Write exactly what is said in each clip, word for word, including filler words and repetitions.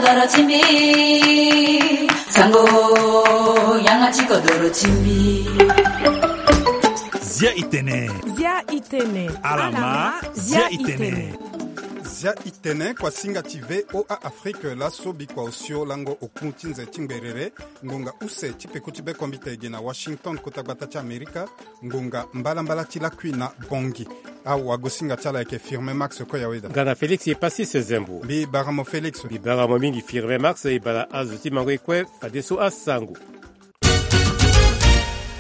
Kodoro ti mbi, sango, yanga ti kodoro ti mbi. Zia i tene. Zia i tene. Alama, zia i tene. Zia i tene, kua singa ti V O A Afrique, laso bikua osio lango oku ti nze ti ngberere, ngonga use ti peko ti be kombite gi na Washington, kota gbata ti Amerika, ngonga mbalambala ti lakui na Bongi. Awagosinga ti ala ayeke Firme Max Koyaweda. Nga na Félix Epasis Zembo. Mbi bara mo Félix. Mbi bara mo mingi Firme Max, e bara azo ti mango e kue, fadeso asango.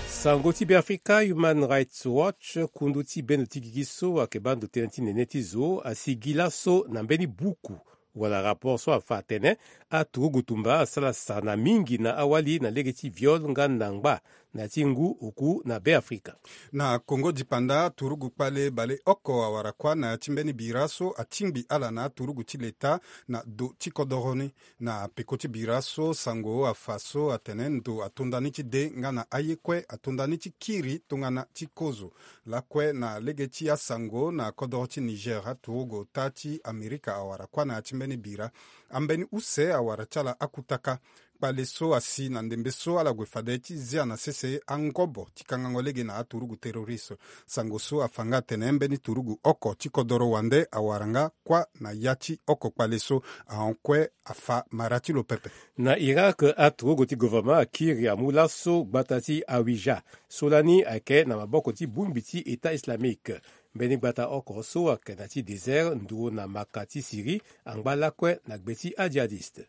Sango ti Beafrika, Human Rights Watch, kundu ti bendo ti gigi so ayeke baa ndo tënë ti nene ti zo, asigi laso na mbeni buku wala rapport so afa atene aturugu tumba asara sana mingi na awali na lege ti viol nga na ngba na ya ti ngu oku na Beafrika. Na Kongo dipanda, turugu kpale baleoko awara kuâ na ya ti mbeni bira so atingbi ala na aturugu ti leta na do ti kodoro ni. Na peko ti bira so, sango afa so atene ndo atonda ni ti de nga na aye kue atonda ni ti kiri tongana ti kozo. Lakue na lege ti asango na kodoro ti Niger, aturugu ota ti Amerika awara kuâ na ya ti mbeni bira. Ambeni use awara ti ala akutaka. Kpale so asi na ndembe so ala gue fade ti zia na sese angobo ti kangango lege na aturugu terroriste. Sango so afa nga atene mbeni turugu oko ti kodoro wande awara nga kuâ na ya ti oko kpale so, ahon kue afa mara ti lo pepe. Na Irak, aturugu ti gouvernement akiri amu laso gbata ti Hawija so lani ayeke na maboko ti bongbi ti État Islamique. Mbeni gbata oko so ayeke na ti désert nduru na maka ti Syrie angba lakue na gbe ti ajihadiste.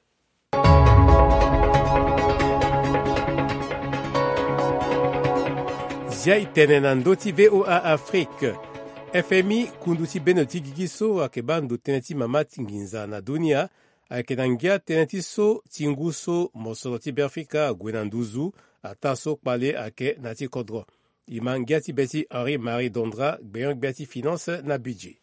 Zia e tene na ndö ti V O A Afrique. F M I, kundu ti bendo ti gigi so ayeke baa ndo tënë ti mama ti nginza na dunia, ayeke na ngia tënë ti so ti ngu so mosoro ti Beafrika ague na nduzu, ataa so kpale ayeke na ya ti kodro. E ma ngia ti be ti Henri Marie Dondra, gbenyo-gbia ti finance na budget.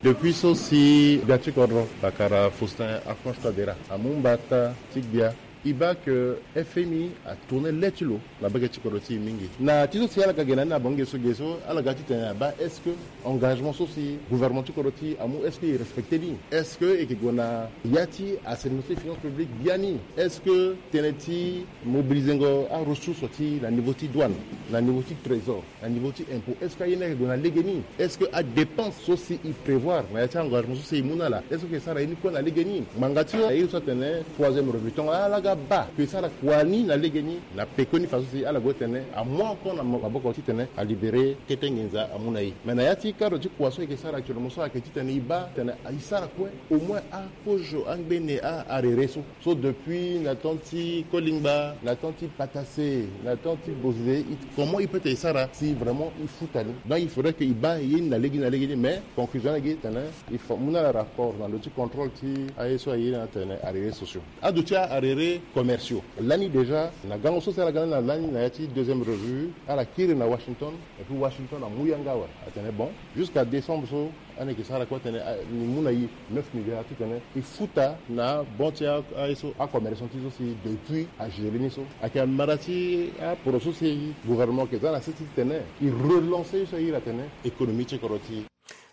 Depuis so si gbia ti kodro, bakara Faustin Archange Touadéra, amu mbata ti gbia, e baa que F M I atourne le ti lo na mbage ti kodro ti e mingi. Na ti so si ala ga ge na ni na bango ge so ge so, ala ga titene abaa est-ce que engagement so si gouvernement ti kodro ti e amu, est-ce que e respecte ni? Est-ce que e yeke gue na ya ti assainissement ti finance publique biani? Est-ce que tënë ti mobilisengo aressource ti na niveau ti douane, na niveau ti trésor, na niveau ti impôt, est-ce que aye ni ayeke gue na lege ni? Est-ce que adépense so si e prévoir na ya ti engagement so si e mu na ala, est-ce que e sara ye ni kue na lege ni? Ngbanga ti so aye so atene troisième revue, tonga ala ga baa que e sara kua ni na lege ni, na pekoni fa so si ala gue tene amu encore na maboko titene alibéré kete nginza amu na e. Mais na ya ti cadre ti kua so e yeke sara actuellement so ayeke titene e baa titene e sara kue au moins akozo angbene a arere so. So depuis na temps ti Kolingba, na temps ti Patase, na temps ti Bozizé, comment e peut e sara si vraiment e futa ni? Donc il faudrait que e baa ye ni na lege ni na lege ni, mais conclusion na gi tene e fa mu na ala rapport na ndo ti contrôle ti aye so aye na tene arere sociaux. Ado ti arere commerciaux lani déjà na gango so si ala ga ni na lani na ya ti deuxième revue, ala kiri na Washington, et puis Washington amu yanga awe, atene bon, jusqu'à décembre so, ande e yeke sara kue atene, ah, ni mu na e neuf milliards titene e futa na banc ti a, aye so, acommerçant ti so si depuis agéré ni so. Ayeke mara ti aporo so si gouvernement ayeke za na sese titene e relancer ye so aye iri atene économie ti kodro ti e.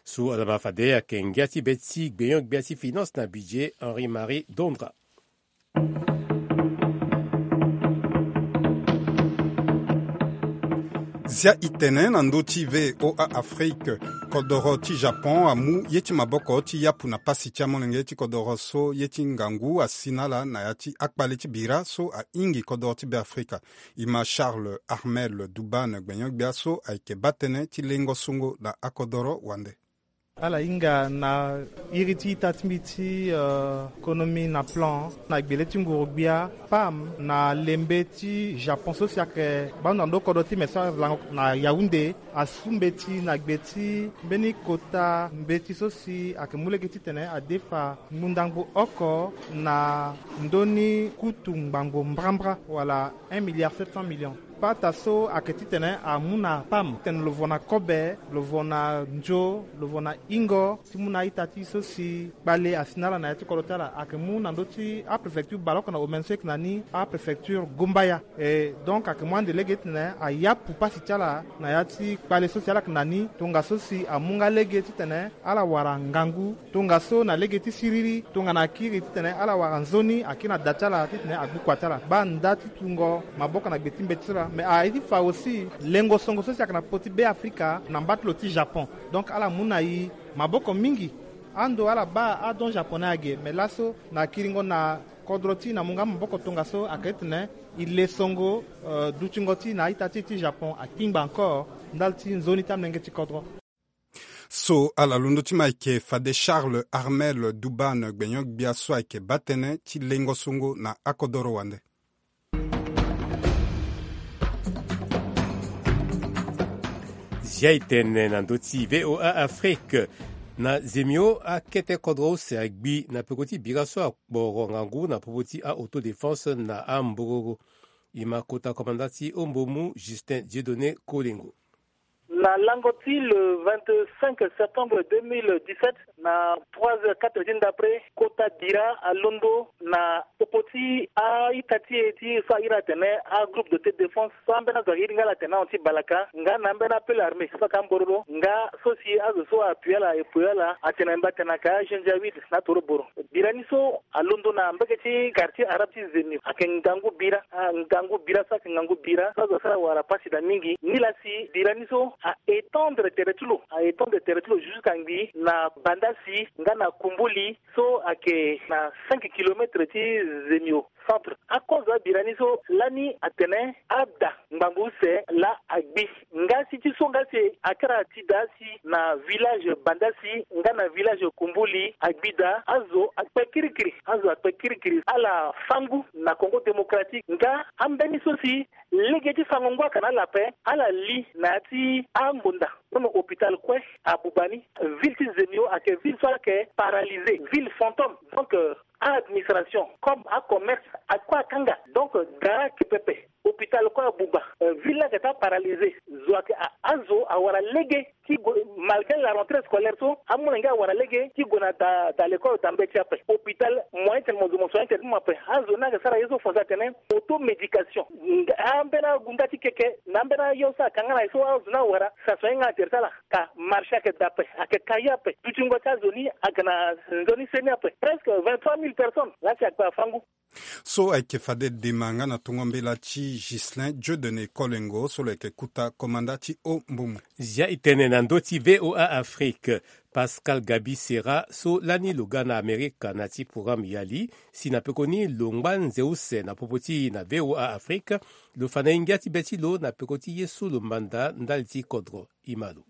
So ala ma fade ayeke ngia ti be ti gbenyo-gbia ti finance na budget, Henri Marie Dondra. Zia e tene na ndö ti V O A Afrique. Kodoro ti Japon amu ye ti maboko ti yapu na pasi ti amolenge ti kodoro so ye ti ngangu asi na ala na ya ti akpale ti bira so ahingi kodoro ti Beafrika. E ma Charles Armel Dubane, gbenyo-gbia so ayeke baa tënë ti lengo songo na akodoro wande. Ala hinga na iri ti ita ti mbi ti, euh, konomi na plan na gbele ti nguru-gbia, pam, na lembe ti Japon so si ayeke baa ndo na ndo kodro ti me so ala lango na Yaoundé, asu mbeti na gbe ti mbeni kota mbeti so si ayeke mu lege titene adefa ngbundangbo oko na ndö ni kutu ngbangbo mbrambra wala un milliard sept cents millions. Pata so ayeke titene amu na pam titene lo vo na kobe, lo vo na nzo, lo vo na ingo ti mu na a-ita ti e so si kpale asi na ala na ya ti kodro ti ala. Ayeke mu na ndö ti apréfecture baleoko na omene so e yeke na ni apréfecture Gombaya. E donc ayeke mu ande lege titene ayapu pasi ti ala na ya ti kpale so si ala yeke na ni, tongaso si amu nga lege titene ala wara ngangu, tongaso na lege ti siriri tongana akiri titene ala wara nzoni akiri na da ti ala titene agbu kua ti ala. Baa nda ti tungo maboko na gbe ti mbeti so laa. Me aye ti fa aussi lengo songo so si ayeke na popo ti Beafrika na mba ti lo ti Japon. Donc ala mu na e maboko mingi. Ando ala baa adon japonais age, me laso na kiringo na kodro ti e na mu nga maboko tongaso ayeke titene e le songo, euh, dutingo ti e na a-ita ti e ti Japon akpingba encore ndali ti nzoni ti amolenge ti kodro. So ala londo ti ma ayeke fade Charles Armel Dubane, gbenyo-gbia so ayeke baa tënë ti lengo songo na akodoro wande. Zia e tene na ndö ti V O A Afrique. Na Zemio akete kodro use agbi na peko ti bira so akporo ngangu na popo ti a-autodéfense na ambororo. E ma kota komanda ti ombomu Justin Dieudonné Kolengo. Na lango ti le vingt-cinq septembre deux mille dix-sept, na trois heures, quatre heures ti ndapre, kota bira alondo na popo ti a-ita ti e ti so a iri atene agroupe d'autodéfense so ambeni azo airi nga ala atene ahon ti Balaka nga na ambeni apele armée so ayeke ambororo nga so si azo so apui ala e pui ala atene mbi atene ayeke ajanjahuide na atoroboro. Bira ni so alondo na mbage ti quartier arabe ti Zemio. Ayeke ngangu bira, ah, ngangu bira so ayeke ngangu bira so azo asara wara pasi daa mingi. Nilaa si bira ni so a étendre tere ti lo, a étendre tere ti lo jusqu'à ngbii na Bandasi nga na Kumbuli so ayeke na cinq kilomètres ti Zemio centre. Akozo abira ni so lani atene ada ngbangbo use laa agbi. Nga si ti so nga si akara ti daa si na village Bandasi nga na village Kumbuli agbi daa, azo akpe kirikiri, azo akpe kirikiri. Ala fâ ngu na Congo Démocratique nga ambeni so si lege ti fango ngu ayeke na ala ape, ala li na ya ti angonda. Kono hôpital kue abuba ni. Ville ti Zemio ayeke ville so ayeke paralysé, ville fantôme. Donc, euh, a-administration comme acommerce akue akanga. Donc, da ayeke pepe. Hôpital kue abuba. Euh, ville ni ayeke ti aparalysé. Zo ayeke a, azo awara lege ti gue, malgré la rentrée scolaire so, amolenge awara lege ti gue na da, da l'école da mbeti ape. Hôpital moyen tene mo zo mo soigner tere ti mo ape. Azo ni ayeke sara ye so fo so atene automédication. Nga, ambeni agu nga ti keke na ambeni ayo so ayeke nga na ye so azo ni awara, si asoigner nga na tere ti ala. Ka marché ayeke da ape, ayeke ka ye ape. Dutingo ti azo ni ayeke na nzoni se ni ape. Presque vingt-trois mille personnes laa si akpe afâ ngu. So ayeke fade dema nga na tongo mbela ti Ghislain Dieudonné Kolengo so lo yeke kota komanda ti ombomu. Zia e tene na ndö ti V O A Afrique. Pascal Gaby Serra so lani lo ga na Amerika na ya ti programme Yali, si na pekoni lo ngba nze use na popo ti e na V O A Afrique, lo fa na e ngia ti be ti lo na peko ti ye so lo manda ndali ti kodro. E ma lo.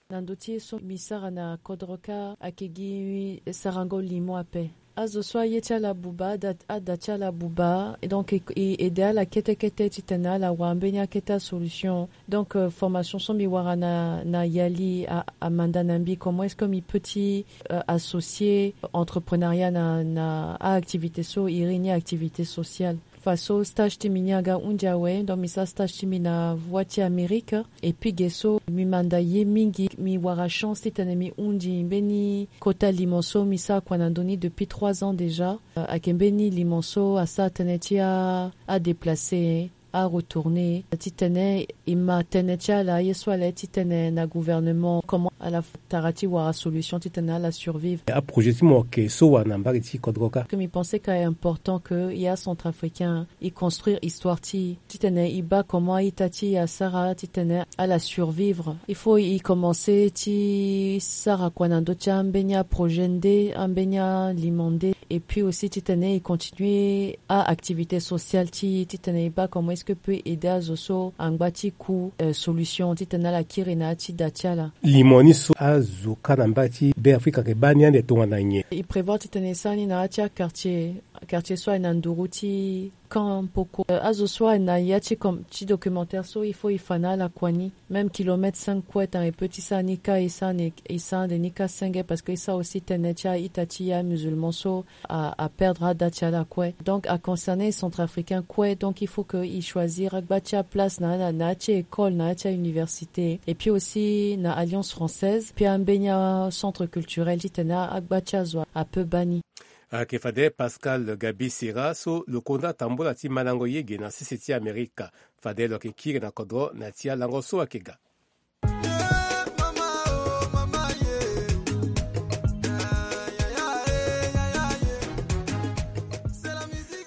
Na ndö ti ye so mbi sara na kodro kâ ayeke gi sarango limo ape. Azo so aye ti ala abuba, ada, ada ti ala abuba, donc e, e aidé ala kete kete titene ala wara mbeni akete asolution. Donc, euh, formation so mbi wara na, na Yali a, amanda na mbi comment est-ce que mbi peut ti, euh, associer entrepreneuriat na, na a-activité so e iri ni activité sociale. Fa so stage ti mbi ni aga hunzi awe, donc mbi sara stage ti mbi na Voix ti Amérique. Et puis ge so mbi manda ye mingi, mbi wara chance titene mbi hunzi mbeni kota limo so mbi sara kua na ndö ni depuis trois ans déjà. Euh, ayeke mbeni limo so asara tënë ti a, adéplacer, aretourner, titene e ma tënë ti ala, ye so ala ye titene na gouvernement, comment ala tara ti wara solution titene ala survivre. Aprojet ti mo ayeke so wara na mbage ti kodro kâ. Que mbi pense ka important que e acentrafricain e construire histoire ti e, titene e baa comment a-ita ti e asara titene ala survivre. Il faut e commencer ti sara kua na ndö ti ambeni aprojet nde, ambeni alimo nde. Et puis aussi titene e continuer a-activité sociale ti e, titene e baa comment est-ce que e peut aider azo so angba ti ku, euh, solution titene ala kiri na ya ti da ti ala. Limo ni so azo kâ na mbage ti Beafrika ayeke baa ni ande tongana nyen? E prévoir titene e sara ni na ya ti aquartier. Quartier so ayeke na nduru ti Camp Poko. Euh, azo so ayeke na ya ti com- ti documentaire so il faut e fa na ala kua ni. Même kilomètre cinq kue tanga e peut ti sara ni kâ, e sara ni, e sara ande ni kâ senge, parce que e sara aussi tënë ti a-ita ti a musulman so a, a perdre ada ti ala kue. Donc a concerner e centrafricain kue, donc il faut que e choisir agba ti aplace na ala na ya ti école, na ya ti auniversité, et puis aussi na Alliance française, puis ambeni acentre culturel titene agba ti azo apeut baa ni. Ayeke fade Pascal Gabi Sera so lo konda tambula ti malango ye ge na sese ti Amerika. Fade lo yeke kiri na kodro na ya ti alango so ayeke ga.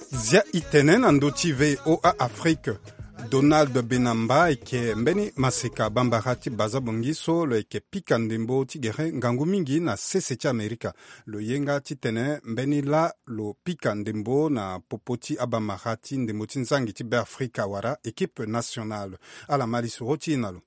Zia e tene na ndö ti V O A Afrique. Donald Benamba ayeke mbeni maseka bambara ti Baza Bongi so lo yeke pika ndembo ti gere ngangu mingi na sese ti Amerika. Lo ye nga titene mbeni laa lo pika ndembo na popo ti abambara ti ndembo ti nzangi ti Beafrika wala équipe nationale. Ala ma lisoro ti e na lo.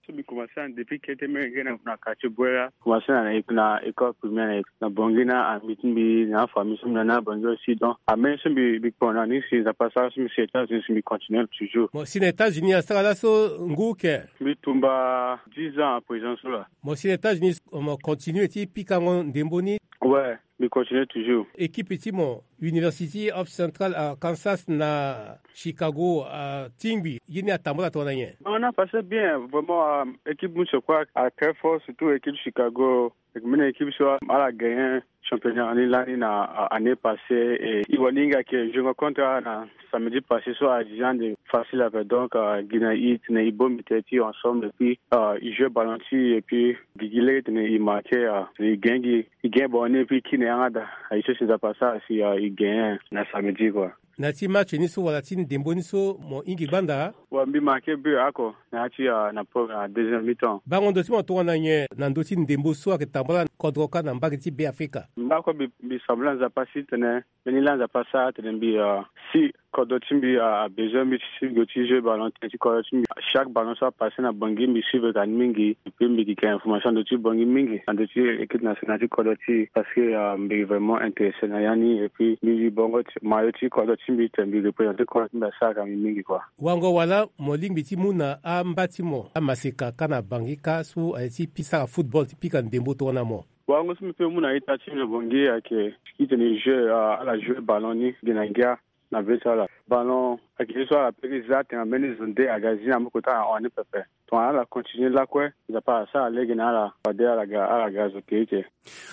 So mbi commencé na depuis kete menge na, na quartier Bouera. Commencé na, na, na école primaire na, na Bangui na ami ti mbi na afamille so mbi na na Bangui aussi. Donc ameni so mbi, mbi kpona ni si Nzapa asara so mbi si États-Unis si mbi continuer toujours. Mo si na États-Unis asara laso ngu ke? Mbi tumba dix ans à présent so la. Mo si na États-Unis, mo continuer ti pikango ndembo ni? Ouais, mbi continuer toujours. Équipe ti mo, University of Central Arkansas na Chicago, atingbi ye ni atambula tongana nyen? On a passé bien, vraiment, euh, équipe Mouche quoi, à très fort, surtout équipe Chicago. Mene équipe so ala gagné championnat ni lani na, euh, année passée, et e wani hinga ke je rencontre na samedi passé so a déjà de facile avec, donc, euh, gi na e tene e bongbi tënë ti e ensemble, et puis, euh, e jouer ballon ti e, et puis gi gi lege tene e marqué, euh, e gagné gi, e gagné ballon ni, et puis kiri na yanga daa. Aye so si Nzapa asara si, euh, e gagné na samedi quoi. Na ya ti match ni so wala ti ndembo ni so mo hingi gbanda? Wa mbi marqué but oko na ya ti, euh, na pro na deuxième mi-temps. Bango ndo ti mo tongana nyen na ndö ti ndembo so ayeke tambula kodro kâ na mbage ti Beafrika? Mbi oko mbi, mbi sambela Nzapa si tene mbeni laa Nzapa asara tene mbi, euh, si kodro ti mbi, euh, a besoin mbi ti si mbi go ti jouer ballon tënë ti kodro ti mbi. Chaque ballon so apassé na Bangui mbi suivre ka ni mingi, et puis mbi yeke information na ndö ti Bangui mingi, na ndö ti équipe nationale ti kodro ti e, parce que, euh, mbi vraiment intéressé na ya ni, et puis mbi zi bongo ti maillot ti kodro ti mbi tene mbi représenter kodro ti mbi asara ka mbi mingi quoi. Wango wala mo lingbi ti mu na amba ti mo amaseka kâ na Bangui kâ so aye ti pi sara football ti pika ndembo tongana mo? Wango so mbi peut mu na ita ti mbi na Bangui ayeke titene e jouer, euh, ala jouer ballon ni gi na ngia na be ti ala. Ballon ayeke ye so ala peut ti za atene mbeni zo nde aga zi na moko ti ala na hon ni pepe. Tongana ala continuer lakue, Nzapa asara lege na ala fade ala ga, ala ga zo keike.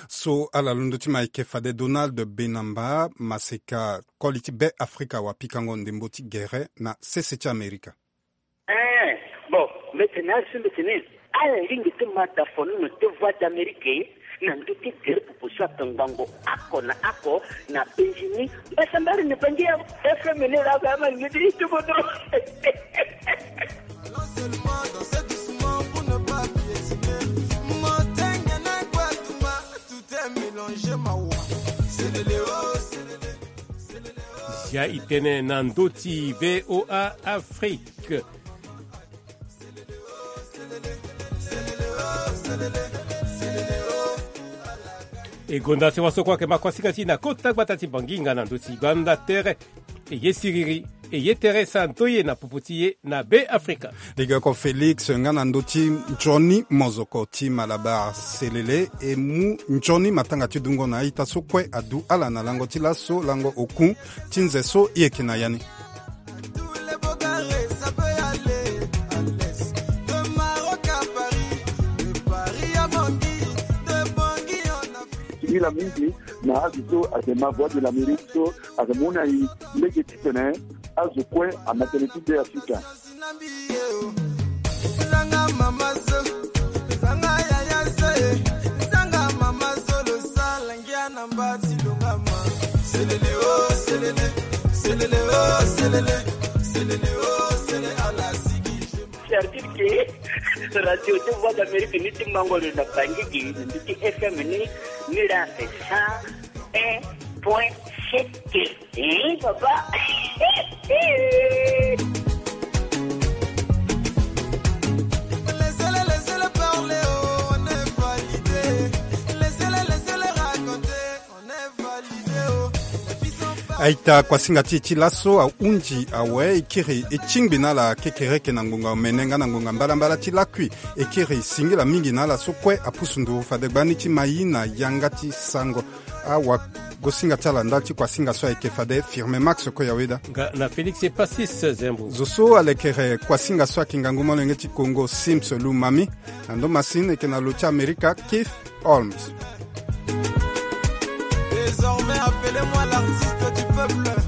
So ala londo ti mo ayeke fade Donald Benamba, maseka koli ti Beafrika wa pikango ndembo ti gere na sese ti Amerika. Eh, bon, mbi tene azo so mbi tene ala lingbi ti ma da fono na te Voix d'Amérique na ndö ti gere popo so ape ngbongo oko na oko na penzi ni. Mbasambara na Bangui ya F M ni la ba ma ngedi ti bodo. Zia e tene na ndö ti V O A Afrique. E gonda sewa so kue ayeke ma kuasinga ti e na kota gbata ti Banginga na ndö ti gbanda tere. E ye siriri, e ye tere santo ye na popo ti e na Beafrika. Lege oko Félix nga na ndö ti nzoni mozoko ti Malabar selele e mu nzoni matanga ti dungo na a-ita so kue adu ala na lango ti laso, lango oku ti nze so e yeke na ya ni. Ti hila mingi na azo so ayeke ma Voix de l'Amérique so ayeke mu na e lege titene azo kue ama tënë ti Beafrika. C'est-à-dire que Radio de Voix d'Amérique ni ti mango lo na Bangui gi, ni ti F M ni, ni la c'est cent un point sept. Eh, papa. Laissez-les, laissez-les parler, oh, on est validé. Laissez-les, laissez-les raconter, on est validé, oh. Et puis, ils sont Aita kuasinga ti e ti laso ahunzi awe e kiri e tingbi na ala kekereke na ngonga omene nga na ngonga mbalambala ti lakui. E kiri singila mingi na ala so kue apusu nduru fade gbani ti ma ye na yanga ti sango. Awagosinga ti ala ndali ti kuasinga so ayeke fade Firme Max Koyaweda. Nga na Félix Epasis Zembo. Zo so alekere kuasinga so ayeke ngangu molenge ti Kongo Sims Lumami. Na ndo masini eke na lo ti Amerika Keith Holmes. Désormais, appelez-moi l'artiste du peuple.